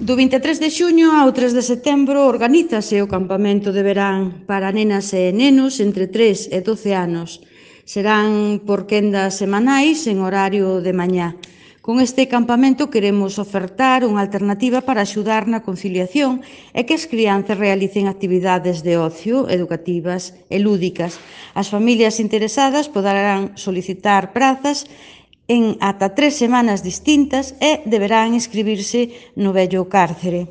Do 23 de xuño ao 3 de setembro organízase o campamento de verán para nenas e nenos entre 3 e 12 anos. Serán por quendas semanais en horario de mañá. Con este campamento queremos ofertar unha alternativa para axudar na conciliación e que as crianzas realicen actividades de ocio, educativas e lúdicas. As familias interesadas poderán solicitar prazas en ata 3 semanas distintas e deberán inscribirse no vello cárcere.